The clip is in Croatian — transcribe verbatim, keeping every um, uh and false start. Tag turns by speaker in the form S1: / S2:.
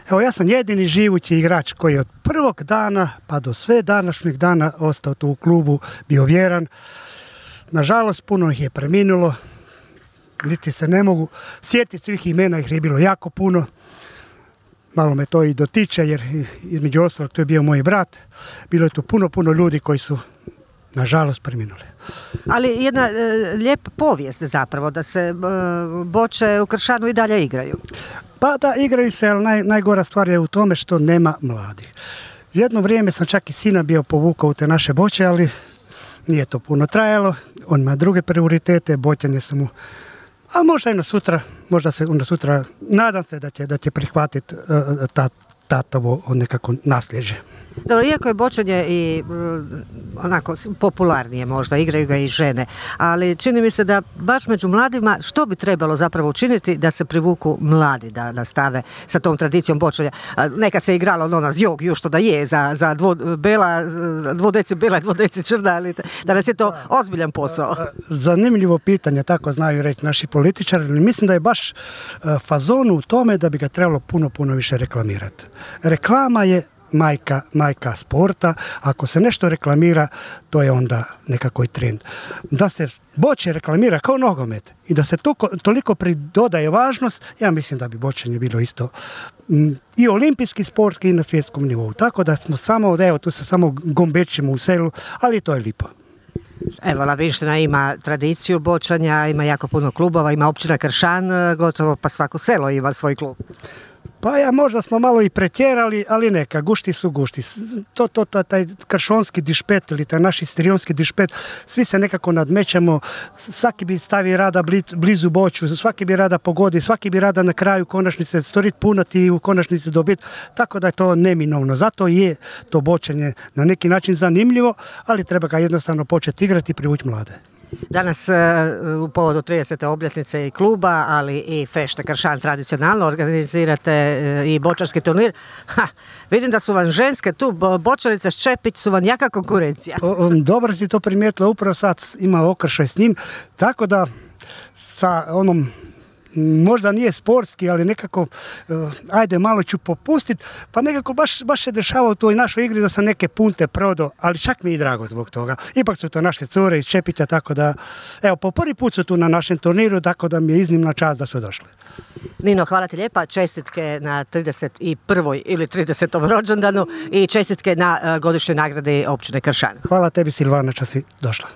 S1: Evo, ja sam jedini živući igrač koji je od prvog dana pa do sve današnjeg dana ostao tu u klubu, bio vjeran. Nažalost, puno ih je preminulo, niti se ne mogu sjetiti svih imena, ih je bilo jako puno. Malo me to i dotiče, jer između ostalog to je bio moj brat. Bilo je tu puno, puno ljudi koji su, nažalost, preminuli.
S2: Ali jedna e, lijepa povijest zapravo, da se e, Boče u Kršanu i dalje igraju.
S1: Pa da, igraju se, ali naj, najgora stvar je u tome što nema mladih. Jedno vrijeme sam čak i sina bio povukao u te naše Boče, ali nije to puno trajalo. On ima druge prioritete, Boćanje su mu... Ali možda i na sutra, možda se onda sutra, nadam se da će, da će prihvatiti uh, ta, tatovo nekako nasljeđe.
S2: Dobro, iako je bočanje i onako popularnije možda, igraju ga i žene, ali čini mi se da baš među mladima što bi trebalo zapravo učiniti da se privuku mladi da nastave sa tom tradicijom bočanja. Nekad se igralo ono na zjog, još to da je, za, za dvo, bela, dvodeci bela i dvodeci črna, ali danas je to ozbiljan posao.
S1: Zanimljivo pitanje, tako znaju reći naši političari, ali mislim da je baš fazon u tome da bi ga trebalo puno, puno više reklamirati. Reklama je majka, majka sporta. Ako se nešto reklamira, to je onda nekako i trend. Da se boče reklamira kao nogomet i da se to, toliko pridodaje važnost, ja mislim da bi bočanje bilo isto m, i olimpijski sport i na svjetskom nivou. Tako da smo samo, evo, tu se samo gombećimo u selu, ali to je lipo.
S2: Evo, Labinština ima tradiciju bočanja, ima jako puno klubova, ima općina Kršan, gotovo pa svako selo ima svoj klub.
S1: Pa ja, možda smo malo i pretjerali, ali neka, gušti su gušti. To, to, to, taj kršonski dišpet ili taj naš istrijonski dišpet, svi se nekako nadmećemo, svaki bi stavi rada blizu Boču, svaki bi rada pogodi, svaki bi rada na kraju konačnice storit punati i u konačnici dobiti, tako da je to neminovno. Zato je to bočenje na neki način zanimljivo, ali treba ga jednostavno početi igrati i privući mlade.
S2: Danas u povodu tridesete obljetnice i kluba, ali i Fešte Kršan tradicionalno organizirate i bočarski turnir. Ha, vidim da su vam ženske tu, bočarice Ščepić su vam jaka konkurencija.
S1: Dobro si to primijetila, upravo sad ima okršaj s njim, tako da sa onom, možda nije sportski, ali nekako, uh, ajde, malo ću popustiti, pa nekako baš, baš se dešava u toj našoj igri da sam neke punte prodao, ali čak mi je i drago zbog toga. Ipak su to naše cure iz Čepića, tako da, evo, po prvi put su tu na našem turniru, tako da mi je iznimna čast da su došli.
S2: Nino, hvala ti lijepa, čestitke na trideset prvoj ili tridesetom rođendanu i čestitke na uh, godišnjoj nagradi općine Kršan.
S1: Hvala tebi, Silvana, što si došla.